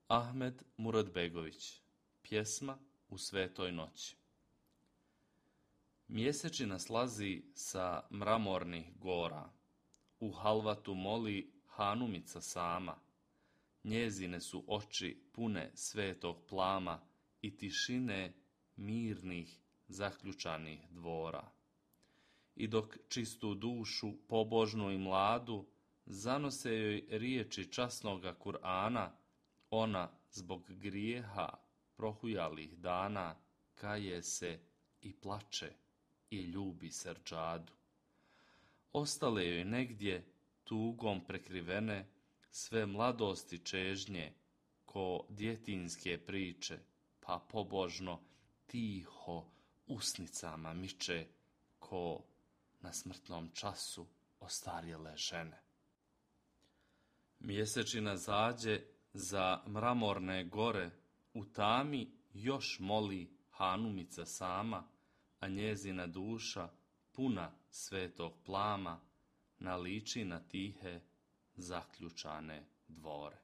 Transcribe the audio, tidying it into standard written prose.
Ahmed Muradbegović. Pjesma u svetoj noći. Mjesečina slazi sa mramornih gora, u halvatu moli Hanumica sama, njezine su oči pune svetog plama i tišine mirnih zaključanih dvora. I dok čistu dušu, pobožnu i mladu, zanose joj riječi časnoga Kur'ana, ona zbog grijeha prohujalih dana kaje se i plače i ljubi srdžadu. Ostale joj negdje tugom prekrivene sve mladosti čežnje ko djetinjske priče, pa pobožno tiho usnicama miče ko na smrtnom času ostarjele žene. Mjesečina zađe za mramorne gore, u tami još moli Hanumica sama, a njezina duša puna svetog plama naliči na tihe zaključane dvore.